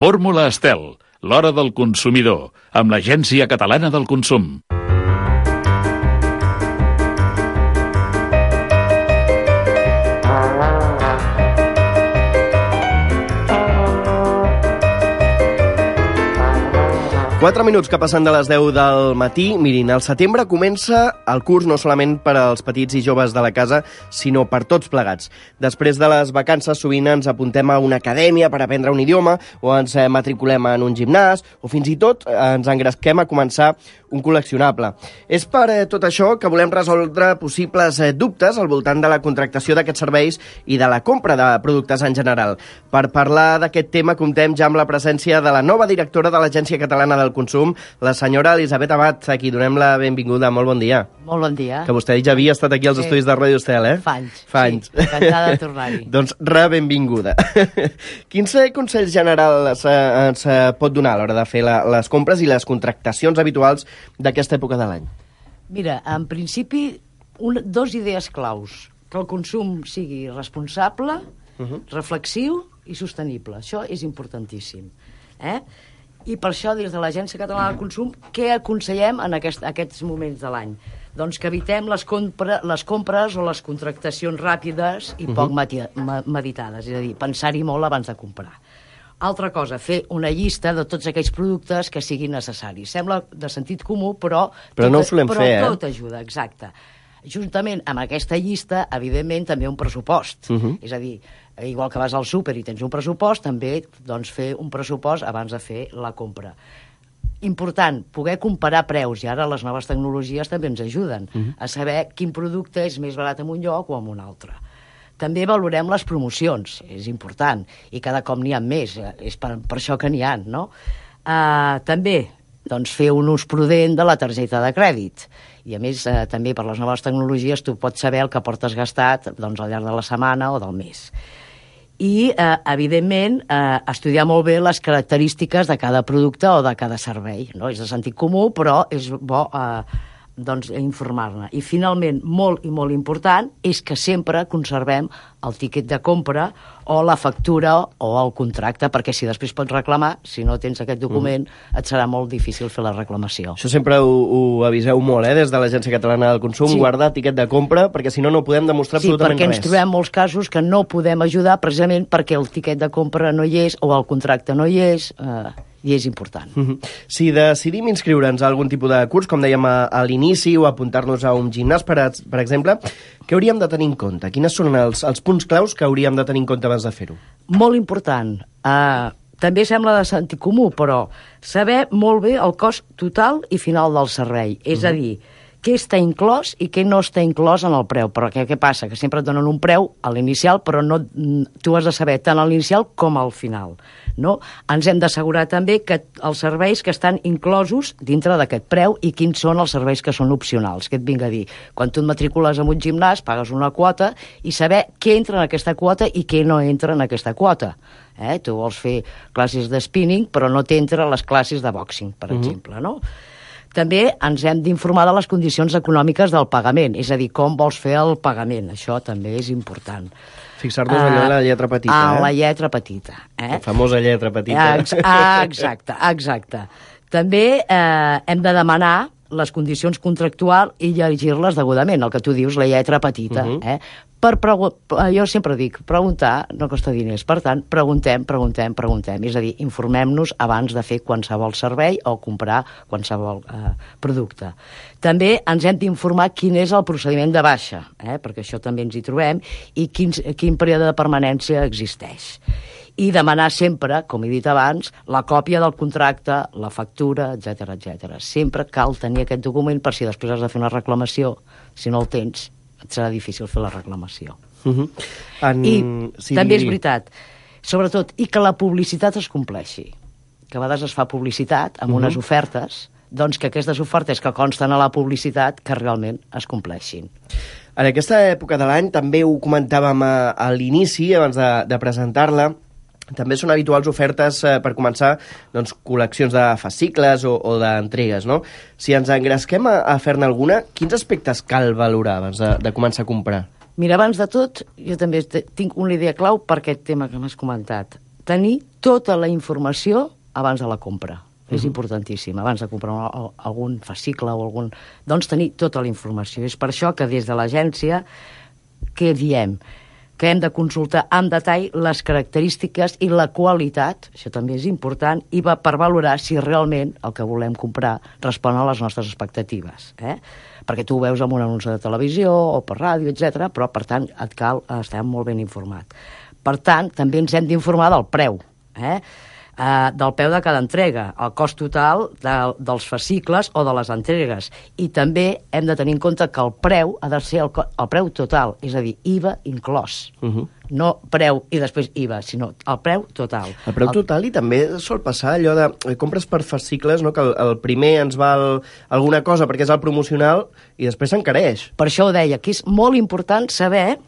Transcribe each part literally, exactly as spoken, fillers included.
Fórmula Estel, l'hora del consumidor, amb l'Agència Catalana del Consum. Quatre minuts que passen de les deu del matí. Mirin, al setembre comença el curs no solament per als petits i joves de la casa, sinó per tots plegats. Després de les vacances sovint ens apuntem a una acadèmia per aprendre un idioma, o ens matriculem en un gimnàs, o fins i tot ens engresquem a començar un col·leccionable. És per eh, tot això que volem resoldre possibles eh, dubtes al voltant de la contractació d'aquests serveis i de la compra de productes en general. Per parlar d'aquest tema comptem ja amb la presència de la nova directora de l'Agència Catalana del Consum, la senyora Elisabet Abad, a qui donem la benvinguda. Molt bon dia. Molt bon dia. Que vostè ja havia estat aquí als sí. estudis de Ràdio Estel, eh? Fa anys. Fa anys. Sí, encantada de tornar-hi. Doncs re-benvinguda. Quins consells generals eh, ens eh, pot donar a l'hora de fer la, les compres i les contractacions habituals d'aquesta època de l'any? Mira, en principi, un, dos idees claus. Que el consum sigui responsable, uh -huh. reflexiu i sostenible. Això és importantíssim. Eh? I per això, des de l'Agència Catalana del Consum, què aconsellem en aquest, aquests moments de l'any? Doncs que evitem les, compra, les compres o les contractacions ràpides i poc uh-huh. meditades, és a dir, pensar-hi molt abans de comprar. Altra cosa, fer una llista de tots aquells productes que siguin necessaris. Sembla de sentit comú, però... Però tot, no ho solem però fer, eh? Però tot ajuda, exacte. Juntament amb aquesta llista, evidentment, també un pressupost. Uh-huh. És a dir, igual que vas al súper i tens un pressupost, també doncs, fer un pressupost abans de fer la compra. Important, poder comparar preus, i ara les noves tecnologies també ens ajuden uh-huh. a saber quin producte és més barat en un lloc o en un altre. També valorem les promocions, és important, i cada cop n'hi ha més, és per, per això que n'hi ha, no? Uh, també, doncs, fer un ús prudent de la targeta de crèdit, i a més, uh, també per les noves tecnologies tu pots saber el que portes gastat doncs, al llarg de la setmana o del mes. I, eh, evidentment, eh, estudiar molt bé les característiques de cada producte o de cada servei, no? És de sentit comú, però és bo eh, doncs, informar-ne. I, finalment, molt i molt important, és que sempre conservem el tiquet de compra o la factura o el contracte, perquè si després pots reclamar, si no tens aquest document, mm. et serà molt difícil fer la reclamació. Això sempre ho, ho aviseu molt, eh, des de l'Agència Catalana del Consum, sí. guardar tiquet de compra, perquè si no, no podem demostrar sí, absolutament res. Sí, perquè ens trobem molts casos que no podem ajudar precisament perquè el tiquet de compra no hi és o el contracte no hi és, eh, i és important. Mm-hmm. Si decidim inscriure'ns a algun tipus de curs, com dèiem a, a l'inici, o apuntar-nos a un gimnàs, per, a, per exemple, què hauríem de tenir en compte? Quines són els, els punts claus que hauríem de tenir en compte abans de fer-ho? Molt important. Uh, també sembla de sentit comú, però saber molt bé el cost total i final del servei. És uh-huh. a dir, què està inclòs i què no està inclòs en el preu. Però què, què passa? Que sempre et donen un preu a l'inicial, però no, tu has de saber tant a l'inicial com al final. No? Ens hem d'assegurar també que els serveis que estan inclosos dintre d'aquest preu i quins són els serveis que són opcionals. Què et vinc a dir? Quan tu et matricules en un gimnàs, pagues una quota i saber què entra en aquesta quota i què no entra en aquesta quota. Eh? Tu vols fer classes de spinning, però no t'entra les classes de boxing, per uh-huh. exemple, no? També ens hem d'informar de les condicions econòmiques del pagament, és a dir, com vols fer el pagament. Això també és important. Fixar-nos uh, allò en la lletra petita, eh? En la lletra petita. Eh? La famosa lletra petita. Ex exacte, exacte. També eh, hem de demanar les condicions contractuals i llegir-les degudament, el que tu dius, la lletra petita. Uh-huh. eh? Per jo sempre dic, preguntar no costa diners. Per tant, preguntem, preguntem, preguntem. És a dir, informem-nos abans de fer qualsevol servei o comprar qualsevol eh, producte. També ens hem d'informar quin és el procediment de baixa, eh? perquè això també ens hi trobem, i quin, quin període de permanència existeix. I demanar sempre, com he dit abans, la còpia del contracte, la factura, etcètera, etcètera. Sempre cal tenir aquest document per si després has de fer una reclamació. Si no el tens, et serà difícil fer la reclamació. Uh-huh. en... I sí, també digui. És veritat, sobretot, i que la publicitat es compleixi. Que a vegades es fa publicitat amb uh-huh. unes ofertes, doncs que aquestes ofertes que consten a la publicitat que realment es compleixin. En aquesta època de l'any, també ho comentàvem a, a l'inici, abans de, de presentar-la, també són habituals ofertes eh, per començar doncs, col·leccions de fascicles o, o d'entregues, no? Si ens engresquem a, a fer-ne alguna, quins aspectes cal valorar abans de, de començar a comprar? Mira, abans de tot, jo també tinc una idea clau per aquest tema que m'has comentat. tenir tota la informació abans de la compra. Uh-huh. És importantíssim, abans de comprar un, algun fascicle o algun... Doncs tenir tota la informació. És per això que des de l'agència, què diem? Que hem de consultar en detall les característiques i la qualitat, això també és important, i va per valorar si realment el que volem comprar respon a les nostres expectatives. Eh? Perquè tu ho veus en un anunci de televisió o per ràdio, etcètera, però, per tant, et cal estar molt ben informat. Per tant, també ens hem d'informar del preu, eh? Uh, del preu de cada entrega, el cost total de, dels fascicles o de les entregues. I també hem de tenir en compte que el preu ha de ser el, el preu total, és a dir, I V A inclòs. Uh-huh. No preu i després I V A, sinó el preu total. El preu total, i també sol passar allò de eh, compres per fascicles, no? Que el, el primer ens val alguna cosa perquè és el promocional i després s'encareix. Per això ho deia, que és molt important saber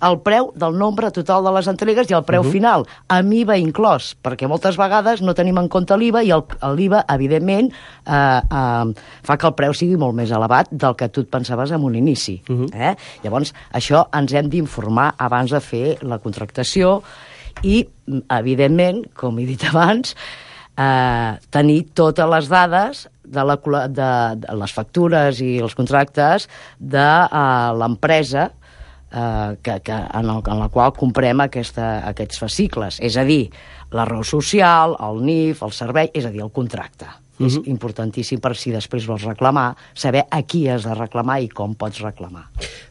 el preu del nombre total de les entregues i el preu uh-huh. final, amb I V A inclòs, perquè moltes vegades no tenim en compte l'I V A i l'I V A, evidentment, eh, eh, fa que el preu sigui molt més elevat del que tu et pensaves en un inici. Uh-huh. eh? Llavors, això ens hem d'informar abans de fer la contractació i, evidentment, com he dit abans, eh, tenir totes les dades de, la, de, de les factures i els contractes de eh, l'empresa Uh, que, que, en, el, en la qual comprem aquesta, aquests fascicles. És a dir, la raó social, el N I F, el servei, és a dir, el contracte. Uh-huh. És importantíssim per si després vols reclamar, saber a qui has de reclamar i com pots reclamar.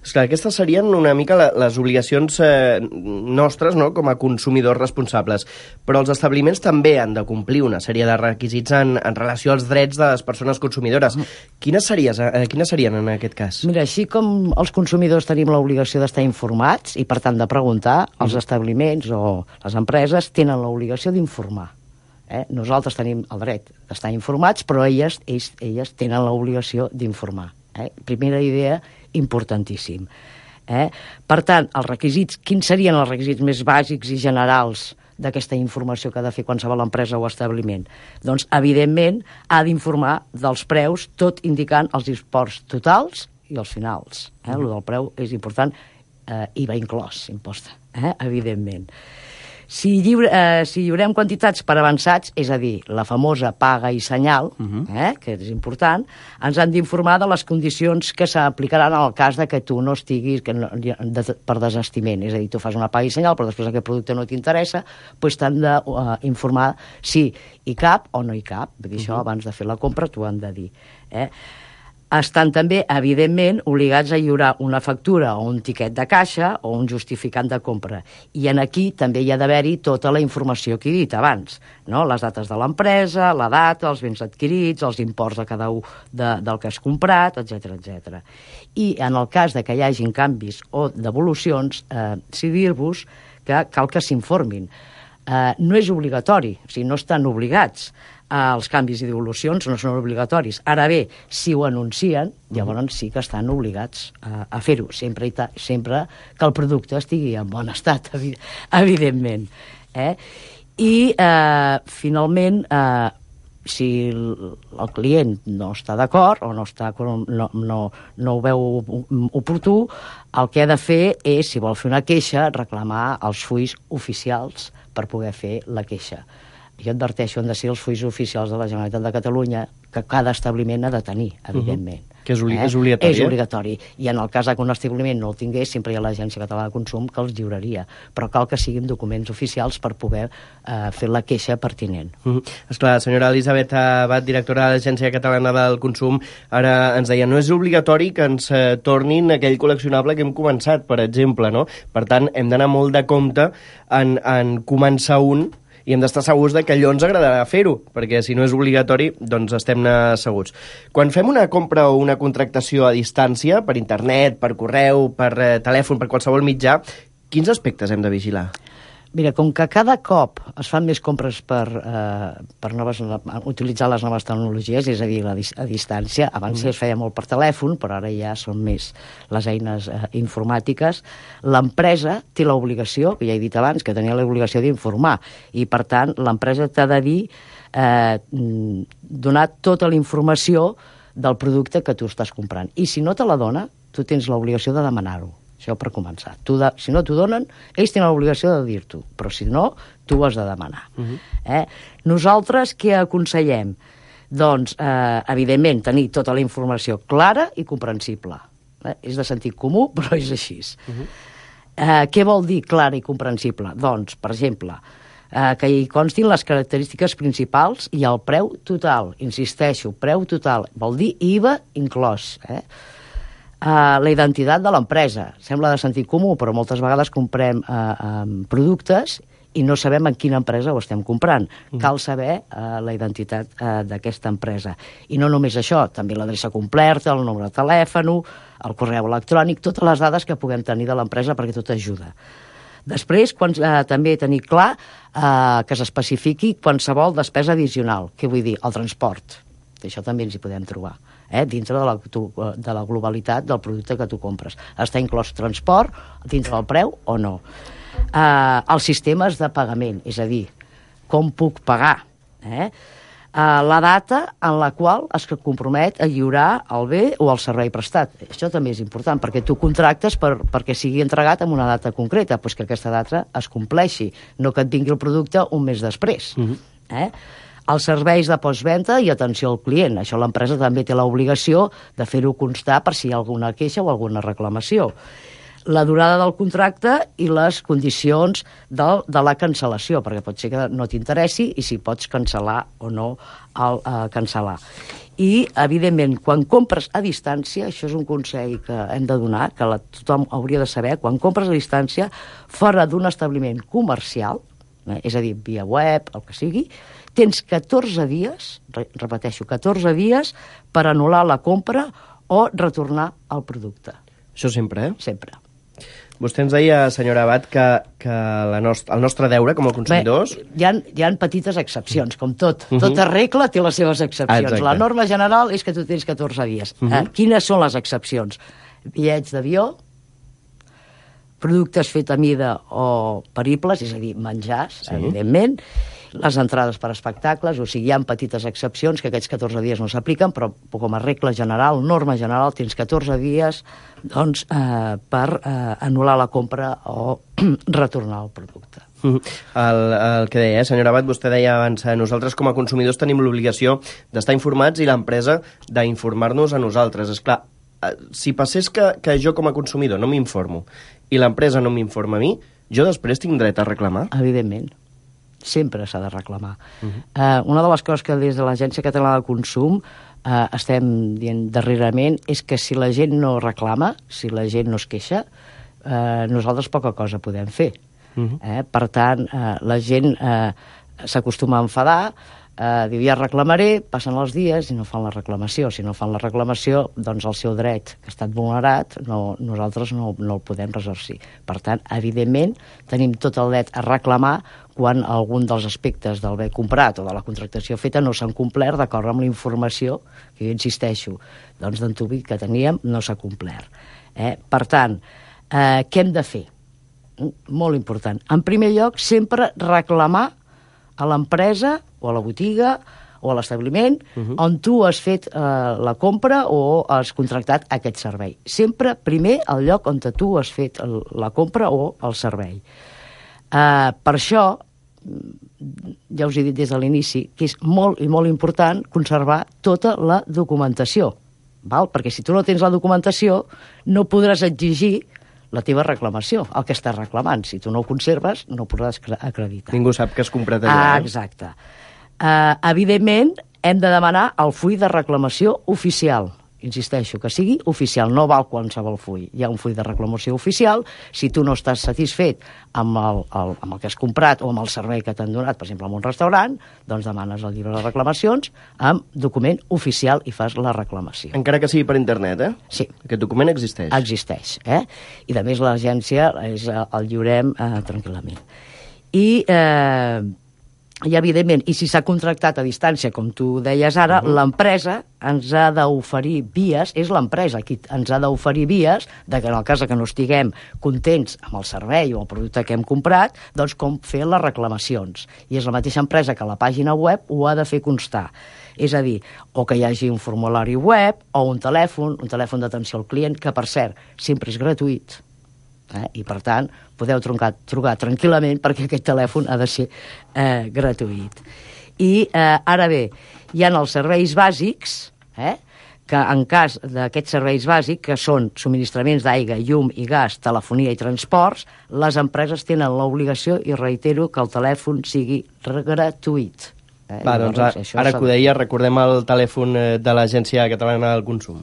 Esclar, aquestes serien una mica la, les obligacions eh, nostres, no?, com a consumidors responsables, però els establiments també han de complir una sèrie de requisits en, en relació als drets de les persones consumidores. Uh-huh. Quines, series, eh, quines serien en aquest cas? Mira, així com els consumidors tenim l'obligació d'estar informats i, per tant, de preguntar, uh-huh. els establiments o les empreses tenen l'obligació d'informar. Eh? Nosaltres tenim el dret d'estar informats, però elles, ells, elles tenen l'obligació d'informar. Eh? Primera idea, importantíssim. Eh? Per tant, els requisits, quins serien els requisits més bàsics i generals d'aquesta informació que ha de fer qualsevol empresa o establiment? Doncs, evidentment, ha d'informar dels preus, tot indicant els imports totals i els finals. Eh? El del preu és important, eh, I V A inclòs, imposta, eh? evidentment. Si, lliure, eh, si lliurem quantitats per avançats, és a dir, la famosa paga i senyal, uh-huh. eh, que és important, ens han d'informar de les condicions que s'aplicaran en el cas de que tu no estiguis que no, de, per desestiment. És a dir, tu fas una paga i senyal, però després aquest producte no t'interessa, doncs t'han d'informar uh, si hi cap o no hi cap. Vull dir, uh-huh. això abans de fer la compra t'ho han de dir. Eh? Estan també, evidentment, obligats a lliurar una factura o un tiquet de caixa o un justificant de compra. I en aquí també hi ha d'haver-hi tota la informació que he dit abans, no? Les dates de l'empresa, la data, els béns adquirits, els imports de cada un de, del que has comprat, etcètera, etcètera. I en el cas de que hi hagin canvis o devolucions, eh, sí dir-vos que cal que s'informin. Eh, no és obligatori, o sigui, no estan obligats. Els canvis i devolucions no són obligatoris. Ara bé, si ho anuncien, llavors sí que estan obligats a, a fer-ho, sempre, i ta, sempre que el producte estigui en bon estat, evidentment. Eh? I, eh, finalment, eh, si el client no està d'acord o no, està, no, no, no ho veu oportú, el que ha de fer és, si vol fer una queixa, reclamar els fulls oficials per poder fer la queixa. Jo adverteixo, han de ser els fulls oficials de la Generalitat de Catalunya, que cada establiment ha de tenir, evidentment. Uh-huh. Que és, obli eh? és obligatori. És obligatori. I en el cas que un establiment no el tingués, sempre hi ha l'Agència Catalana de Consum que els lliuraria. Però cal que siguin documents oficials per poder eh, fer la queixa pertinent. Uh-huh. Esclar, senyora Elisabet Abad, directora de l'Agència Catalana del Consum, ara ens deia, no és obligatori que ens eh, tornin aquell col·leccionable que hem començat, per exemple, no? Per tant, hem d'anar molt de compte en, en començar un i hem d'estar segurs de que allò ens agradarà fer-ho, perquè si no és obligatori, doncs estem segurs. Quan fem una compra o una contractació a distància, per internet, per correu, per eh, telèfon, per qualsevol mitjà, quins aspectes hem de vigilar? Mira, com que cada cop es fan més compres per, eh, per noves, utilitzar les noves tecnologies, és a dir, a, a distància, abans mm. es feia molt per telèfon, però ara ja són més les eines eh, informàtiques, l'empresa té l'obligació, que ja he dit abans, que tenia l'obligació d'informar, i per tant l'empresa t'ha de dir, eh, donar tota la informació del producte que tu estàs comprant. I si no te la dona, tu tens l'obligació de demanar-ho. Això per començar. Tu de, si no t'ho donen, ells tenen l'obligació de dir-t'ho, però si no, tu ho has de demanar. Uh-huh. eh? Nosaltres què aconsellem? Doncs, eh, evidentment, tenir tota la informació clara i comprensible. Eh? És de sentit comú, però és així. Uh-huh. eh, què vol dir clara i comprensible? Doncs, per exemple, eh, que hi constin les característiques principals i el preu total. Insisteixo, preu total. Vol dir I V A inclòs. Eh? Uh, la identitat de l'empresa. Sembla de sentit comú, però moltes vegades comprem uh, um, productes i no sabem en quina empresa ho estem comprant. Mm. Cal saber uh, la identitat uh, d'aquesta empresa. I no només això, també l'adreça completa, el número de telèfon, el correu electrònic, totes les dades que puguem tenir de l'empresa perquè tot ajuda. Després, quan, uh, també tenir clar uh, que s'especifiqui qualsevol despesa addicional. Què vull dir? El transport. Això també ens hi podem trobar. Eh, dintre de la, tu, de la globalitat del producte que tu compres. Està inclòs transport dintre del preu o no? Eh, els sistemes de pagament, és a dir, com puc pagar? Eh? Eh, la data en la qual es compromet a lliurar el bé o el servei prestat. Això també és important, perquè tu contractes per, perquè sigui entregat en una data concreta, doncs que aquesta data es compleixi, no que et vingui el producte un mes després. Uh-huh. Eh? Els serveis de postventa i atenció al client. Això l'empresa també té l'obligació de fer-ho constar per si hi ha alguna queixa o alguna reclamació. La durada del contracte i les condicions del, de la cancel·lació, perquè pot ser que no t'interessi i si pots cancel·lar o no el uh, cancel·lar. I, evidentment, quan compres a distància, això és un consell que hem de donar, que la, tothom hauria de saber, quan compres a distància, fora d'un establiment comercial, eh, és a dir, via web, el que sigui, tens catorze dies, repeteixo, catorze dies per anul·lar la compra o retornar el producte. Això sempre, eh? Sempre. Vostè ens deia, senyora Abad, que, que la nost el nostre deure com a consumidors... Bé, hi ha, hi ha petites excepcions, com tot. Uh-huh. Tota regla té les seves excepcions. Ah, la norma general és que tu tens catorze dies. Uh-huh. eh, quines són les excepcions? Bitllets d'avió, productes fets a mida o peribles, és a dir, menjars, sí. Evidentment, les entrades per espectacles, o sigui, hi ha petites excepcions que aquests catorze dies no s'apliquen, però com a regla general, norma general, tens catorze dies doncs, eh, per eh, anul·lar la compra o retornar el producte. El, el que deia, eh, senyora Abad, vostè deia abans, eh, nosaltres com a consumidors tenim l'obligació d'estar informats i l'empresa d'informar-nos a nosaltres. És clar, eh, si passés que, que jo com a consumidor no m'informo i l'empresa no m'informa a mi, jo després tinc dret a reclamar? Evidentment. Sempre s'ha de reclamar. Uh-huh. uh, una de les coses que des de l'Agència Catalana del Consum uh, estem dient darrerament és que si la gent no reclama, si la gent no es queixa, uh, nosaltres poca cosa podem fer. Uh-huh. eh? Per tant, uh, la gent uh, s'acostuma a enfadar, Uh, diu, ja reclamaré, passen els dies i no fan la reclamació. Si no fan la reclamació, doncs el seu dret que ha estat vulnerat, no, nosaltres no, no el podem resarcir. Per tant, evidentment, tenim tot el dret a reclamar quan algun dels aspectes del bé comprat o de la contractació feta no s'han complert d'acord amb la informació, que jo insisteixo, doncs d'antuvi que teníem no s'ha complert. Eh? Per tant, eh, què hem de fer? Molt important. En primer lloc, sempre reclamar a l'empresa o a la botiga o a l'establiment uh-huh. on tu has fet eh, la compra o has contractat aquest servei. Sempre primer al lloc on tu has fet el, la compra o el servei. Eh, per això, ja us he dit des de l'inici, que és molt i molt important conservar tota la documentació, val? Perquè si tu no tens la documentació no podràs exigir la teva reclamació, el que estàs reclamant. Si tu no ho conserves, no ho podràs acreditar. Ningú sap que has comprat allà. Ah, exacte. Uh, evidentment, hem de demanar el full de reclamació oficial. Insisteixo, que sigui oficial, no val qualsevol full. Hi ha un full de reclamació oficial. Si tu no estàs satisfet amb el, el, amb el que has comprat o amb el servei que t'han donat, per exemple, en un restaurant, doncs demanes el llibre de reclamacions amb document oficial i fas la reclamació. Encara que sigui per internet, eh? Sí. Aquest document existeix. Existeix, eh? I, a més, l'agència és, el lliurem eh, tranquil·lament. I... Eh, I, evidentment, i si s'ha contractat a distància, com tu deies ara, uh-huh. l'empresa ens ha d'oferir vies, és l'empresa qui ens ha d'oferir vies, de que en el cas que no estiguem contents amb el servei o el producte que hem comprat, doncs com fer les reclamacions. I és la mateixa empresa que a la pàgina web ho ha de fer constar. És a dir, o que hi hagi un formulari web o un telèfon, un telèfon d'atenció al client, que, per cert, sempre és gratuït. Eh? I, per tant, podeu trucar, trucar tranquil·lament perquè aquest telèfon ha de ser eh, gratuït. I eh, ara bé, hi ha els serveis bàsics, eh, que en cas d'aquests serveis bàsics, que són subministraments d'aigua, llum i gas, telefonia i transports, les empreses tenen l'obligació, i reitero, que el telèfon sigui gratuït. Eh? Va, doncs ara, ara que ho deia, recordem el telèfon de l'Agència Catalana del Consum.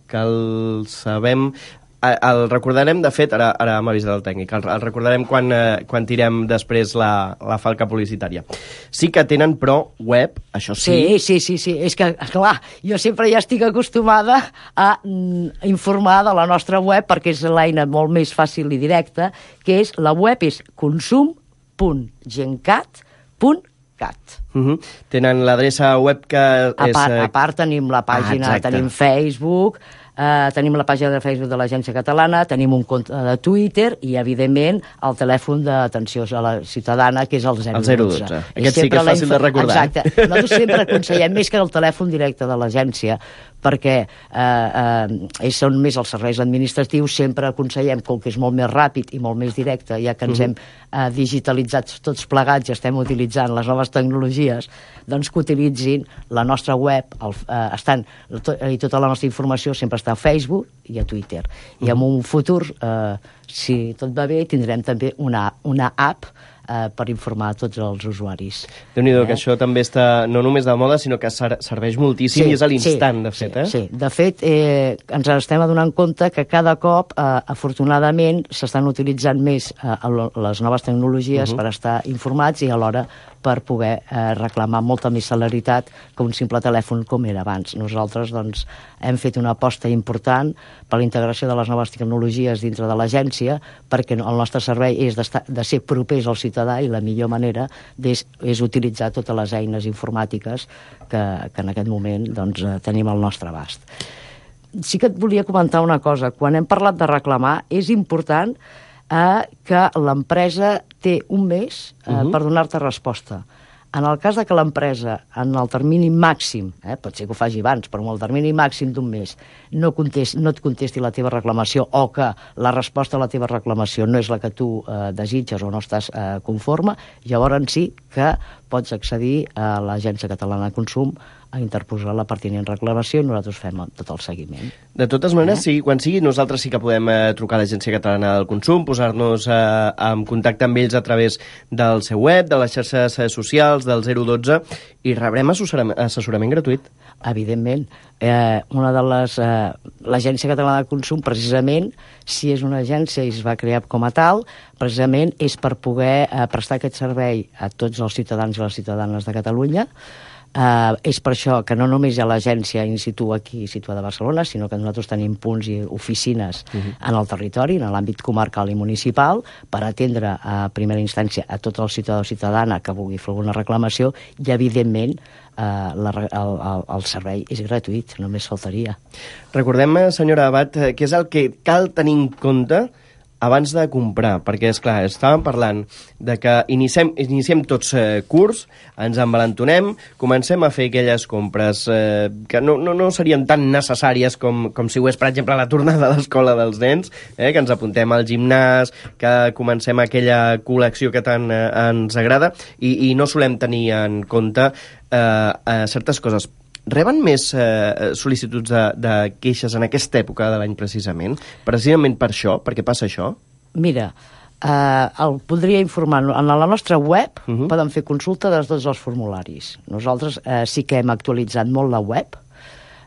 Que el sabem... El recordarem, de fet, ara, ara m'ha avisat el tècnic, el, el recordarem quan, eh, quan tirem després la, la falca publicitària. Sí que tenen, però, web, això sí. Sí, sí, sí, sí. És que, clar, jo sempre ja estic acostumada a mm, informar de la nostra web, perquè és l'eina molt més fàcil i directa, que és, la web és consum punt gencat punt cat. Uh -huh. Tenen l'adreça web que a és... Part, a part tenim la pàgina, ah, tenim Facebook... Uh, tenim la pàgina de Facebook de l'Agència Catalana, tenim un compte de Twitter i, evidentment, el telèfon d'atenció a la ciutadana, que és el zero dotze. El zero dotze. Aquest sí que és fàcil de recordar. Exacte. Nosaltres sempre aconsellem més que el telèfon directe de l'agència, perquè eh, eh, ells són més els serveis administratius, sempre aconsellem, com que és molt més ràpid i molt més directe, ja que ens uh -huh. hem eh, digitalitzat tots plegats i estem utilitzant les noves tecnologies, doncs que utilitzin la nostra web, el, eh, estan, to, i tota la nostra informació sempre està a Facebook i a Twitter. Uh -huh. I en un futur, eh, si tot va bé, tindrem també una, una app eh, per informar tots els usuaris. Déu-n'hi-do, eh? Que això també està no només de moda, sinó que ser serveix moltíssim, sí, i és a l'instant, sí, de fet. Sí, eh? sí. De fet, eh, ens estem adonant compte que cada cop, eh, afortunadament, s'estan utilitzant més eh, les noves tecnologies uh -huh. per estar informats i alhora per poder eh, reclamar molta més celeritat que un simple telèfon com era abans. Nosaltres doncs, hem fet una aposta important per la integració de les noves tecnologies dintre de l'agència, perquè el nostre servei és de ser propers al ciutadà i la millor manera és, és utilitzar totes les eines informàtiques que, que en aquest moment doncs, tenim al nostre abast. Sí que et volia comentar una cosa. Quan hem parlat de reclamar, és important eh, que l'empresa té un mes eh, uh-huh. per donar-te resposta. En el cas de que l'empresa, en el termini màxim, eh, pot ser que ho faci abans, però en el termini màxim d'un mes, no, contesti, no et contesti la teva reclamació o que la resposta a la teva reclamació no és la que tu eh, desitges o no estàs eh, conforme, llavors sí que pots accedir a l'Agència Catalana de Consum a interposar la pertinent reclamació i nosaltres fem tot el seguiment. De totes maneres, eh? sí, quan sigui, nosaltres sí que podem eh, trucar a l'Agència Catalana del Consum, posar-nos eh, en contacte amb ells a través del seu web, de les xarxes eh, socials, del zero dotze, i rebrem assessorament, assessorament gratuït. Evidentment. Eh, una de les... Eh, L'Agència Catalana de Consum, precisament, si és una agència i es va crear com a tal, precisament és per poder eh, prestar aquest servei a tots els ciutadans i les ciutadanes de Catalunya. Uh, és per això que no només hi ha l'agència in situ aquí situada a Barcelona, sinó que nosaltres tenim punts i oficines uh-huh. en el territori, en l'àmbit comarcal i municipal, per atendre a primera instància a tot el ciutadà o ciutadana que vulgui fer alguna reclamació i, evidentment, uh, la, el, el, el servei és gratuït, només faltaria. Recordem, senyora Abad, què és el que cal tenir en compte abans de comprar, perquè, és clar, estàvem parlant de que iniciem, iniciem tots eh, curs, ens envalentonem, comencem a fer aquelles compres eh, que no, no, no serien tan necessàries com, com si ho és, per exemple, la tornada a l'escola dels nens, eh, que ens apuntem al gimnàs, que comencem aquella col·lecció que tant eh, ens agrada, i, i no solem tenir en compte eh, eh, certes coses. Reben més eh, sol·licituds de, de queixes en aquesta època de l'any precisament? Precisament per això? Per què passa això? Mira, eh, el podria informar. En la nostra web uh-huh. poden fer consulta de tots els formularis. Nosaltres eh, sí que hem actualitzat molt la web,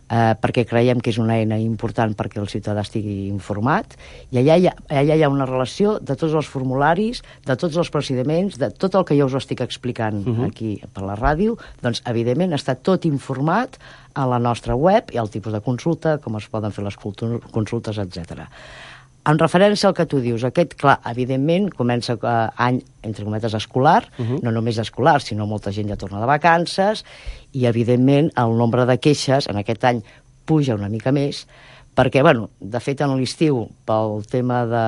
eh, perquè creiem que és una eina important perquè el ciutadà estigui informat, i allà hi, ha, allà hi ha una relació de tots els formularis, de tots els procediments, de tot el que jo us estic explicant uh-huh. aquí per la ràdio, doncs evidentment està tot informat a la nostra web, i el tipus de consulta, com es poden fer les consultes, etcètera. En referència al que tu dius, aquest, clar, evidentment, comença eh, any, entre cometes, escolar, uh-huh. no només escolar, sinó molta gent ja torna de vacances, i, evidentment, el nombre de queixes en aquest any puja una mica més, perquè, bueno, de fet, en l'estiu, pel tema de,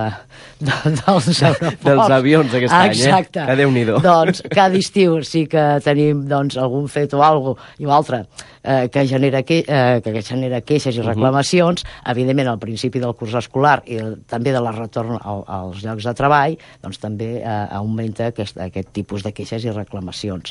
de, dels aeroports... Dels avions aquest any, eh? Exacte. Que Déu-n'hi-do. Doncs cada estiu sí que tenim doncs, algun fet o algo i altre eh, que, genera que, eh, que genera queixes i reclamacions. Uh-huh. Evidentment, al principi del curs escolar i el, també de la retorn al, als llocs de treball, doncs també eh, augmenta aquest, aquest tipus de queixes i reclamacions.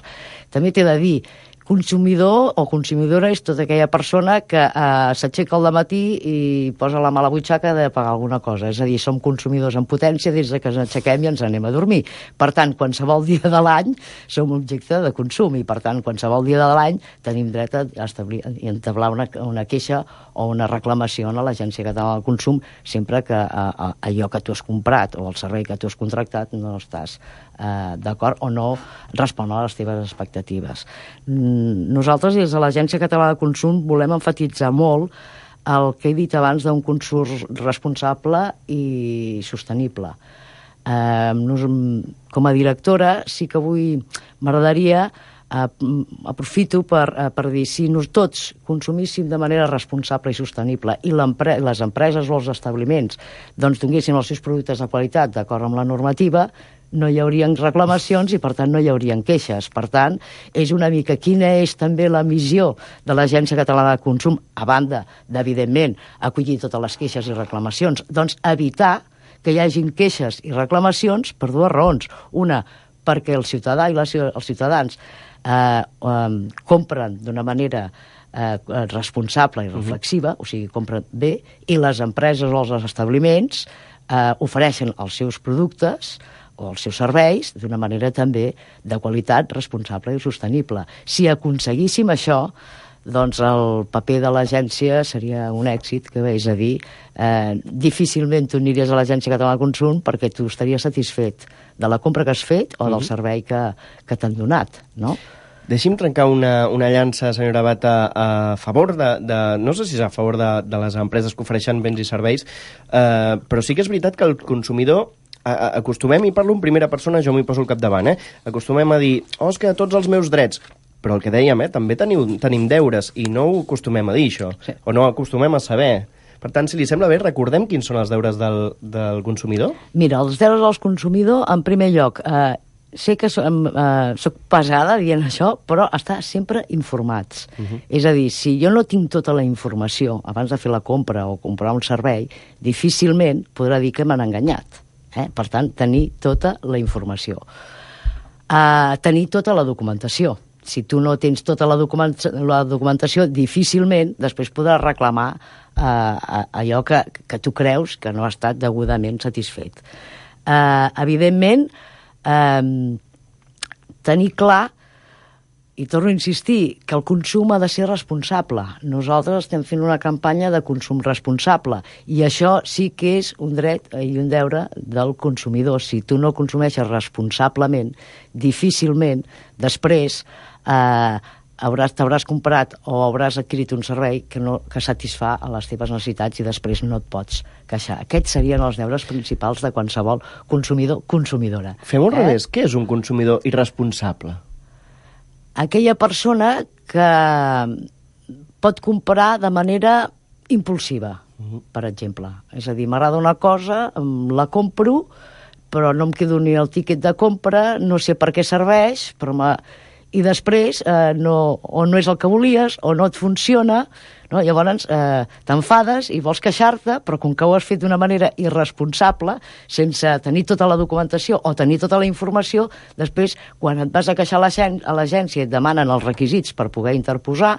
També t'he de dir, consumidor o consumidora és tota aquella persona que eh, s'aixeca al matí i posa la mà a la butxaca de pagar alguna cosa. És a dir, som consumidors en potència des que ens aixequem i ens anem a dormir. Per tant, qualsevol dia de l'any som objecte de consum i, per tant, qualsevol dia de l'any tenim dret a establir i entablar una, una queixa o una reclamació a l'Agència Catalana del Consum sempre que eh, allò que tu has comprat o el servei que tu has contractat no estàs eh, d'acord o no respon a les teves expectatives. Nosaltres, des de l'Agència Catalana de Consum, volem enfatitzar molt el que he dit abans d'un consum responsable i sostenible. Eh, nos, com a directora, sí que avui m'agradaria, eh, aprofito per, eh, per dir, si nos tots consumíssim de manera responsable i sostenible i les empreses o els establiments doncs donguessin els seus productes de qualitat d'acord amb la normativa, no hi haurien reclamacions i, per tant, no hi haurien queixes. Per tant, és una mica quina és també la missió de l'Agència Catalana de Consum, a banda d'evidentment acollir totes les queixes i reclamacions, doncs evitar que hi hagin queixes i reclamacions per dues raons. Una, perquè el ciutadà i les, els ciutadans eh, eh, compren d'una manera eh, responsable i reflexiva, uh-huh. o sigui, compren bé, i les empreses o els establiments eh, ofereixen els seus productes o els seus serveis d'una manera també de qualitat responsable i sostenible. Si aconseguíssim això, doncs el paper de l'agència seria un èxit, que és a dir, eh, difícilment tu aniries a l'Agència Catalana de Consum perquè tu estaries satisfet de la compra que has fet o del servei que, que t'han donat, no? Deixi'm trencar una, una llança, senyora Bata, a favor de, de... No sé si és a favor de, de les empreses que ofereixen béns i serveis, eh, però sí que és veritat que el consumidor acostumem, i parlo en primera persona, jo m'hi poso al capdavant, eh? acostumem a dir, oh, és que tots els meus drets, però el que dèiem, eh? també teniu, tenim deures, i no ho acostumem a dir, això, sí. o no acostumem a saber. Per tant, si li sembla bé, recordem quins són els deures del, del consumidor? Mira, els deures del consumidor, en primer lloc, eh, sé que som, eh, soc pesada dient això, però estar sempre informats. Uh-huh. És a dir, si jo no tinc tota la informació abans de fer la compra o comprar un servei, difícilment podrà dir que m'han enganyat. Eh? Per tant, tenir tota la informació. Uh, tenir tota la documentació. Si tu no tens tota la, document la documentació, difícilment després podràs reclamar uh, allò que, que tu creus que no ha estat degudament satisfet. Uh, evidentment, uh, tenir clar, i torno a insistir, que el consum ha de ser responsable. Nosaltres estem fent una campanya de consum responsable i això sí que és un dret i un deure del consumidor. Si tu no consumeixes responsablement, difícilment després eh, t'hauràs comprat o hauràs adquirit un servei que, no, que satisfà a les teves necessitats i després no et pots queixar. Aquests serien els deures principals de qualsevol consumidor consumidora. Fem al eh? revés. Què és un consumidor irresponsable? Aquella persona que pot comprar de manera impulsiva, uh-huh. per exemple. És a dir, m'agrada una cosa, la compro, però no em quedo ni el tíquet de compra, no sé per què serveix, però i després eh, no, o no és el que volies, o no et funciona, no? Llavors eh, t'enfades i vols queixar-te, però com que ho has fet d'una manera irresponsable, sense tenir tota la documentació o tenir tota la informació, després, quan et vas a queixar a l'agència i et demanen els requisits per poder interposar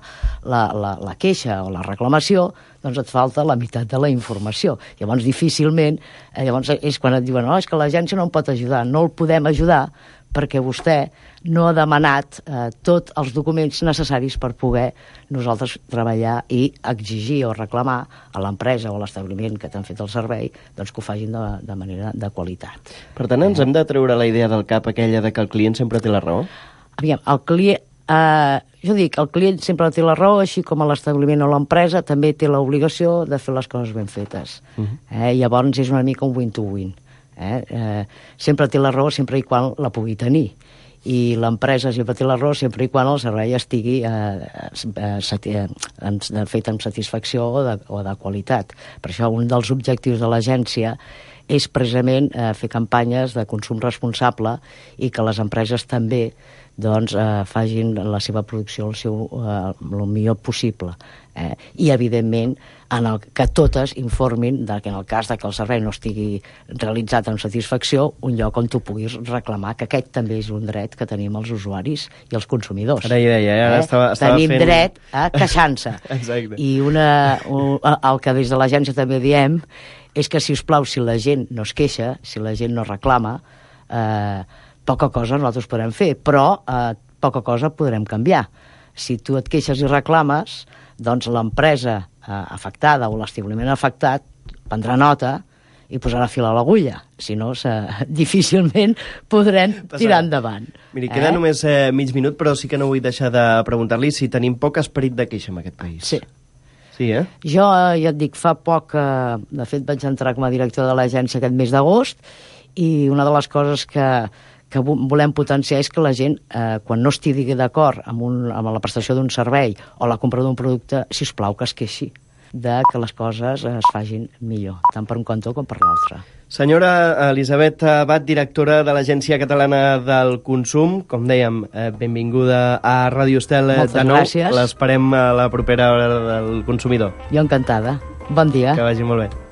la, la, la queixa o la reclamació, doncs et falta la meitat de la informació. Llavors, difícilment, eh, llavors és quan et diuen, no, és que l'agència no em pot ajudar, no el podem ajudar, perquè vostè no ha demanat eh, tots els documents necessaris per poder nosaltres treballar i exigir o reclamar a l'empresa o a l'establiment que t'han fet el servei doncs que ho facin de, de manera de qualitat. Per tant, ens eh? hem de treure la idea del cap aquella de que el client sempre té la raó? Aviam, el client... Eh, jo dic, el client sempre té la raó, així com l'establiment o l'empresa també té l'obligació de fer les coses ben fetes. Uh-huh. eh, llavors és una mica un win-to-win. Eh? Eh, sempre té la raó sempre i quan la pugui tenir. i l'empresa s'hi patir l'arròs sempre i quan el servei estigui eh, eh, eh, fet amb satisfacció o de, o de qualitat. Per això un dels objectius de l'agència és precisament eh, fer campanyes de consum responsable i que les empreses també doncs, eh, facin la seva producció el, seu, eh, el millor possible. Eh? I, evidentment, en el que totes informin de que en el cas de que el servei no estigui realitzat amb satisfacció, un lloc on tu puguis reclamar, que aquest també és un dret que tenim els usuaris i els consumidors. Ara hi deia, eh? estava, estava Tenim fent... dret a queixar-se. Exacte. I una, un, el que des de l'agència també diem és que, si us plau, si la gent no es queixa, si la gent no reclama, eh, poca cosa nosaltres podrem fer, però eh, poca cosa podrem canviar. Si tu et queixes i reclames, doncs l'empresa eh, afectada o l'establiment afectat prendrà nota i posarà fil a l'agulla. Si no, difícilment podrem tirar endavant. Miri, queda eh? només eh, mig minut, però sí que no vull deixar de preguntar-li si tenim poc esperit de queixa en aquest país. Sí. Sí, eh? Jo, eh, ja et dic, fa poc, eh, de fet vaig entrar com a director de l'agència aquest mes d'agost, i una de les coses que, que volem potenciar és que la gent, eh, quan no estigui d'acord amb, un, amb la prestació d'un servei o la compra d'un producte, si us plau, que es queixi de que les coses es facin millor, tant per un cantó com per l'altre. Senyora Elisabet Abad, directora de l'Agència Catalana del Consum, com dèiem, eh, benvinguda a Ràdio Estel eh, de nou. Gràcies. L'esperem a la propera hora del consumidor. Jo encantada. Bon dia. Que vagi molt bé.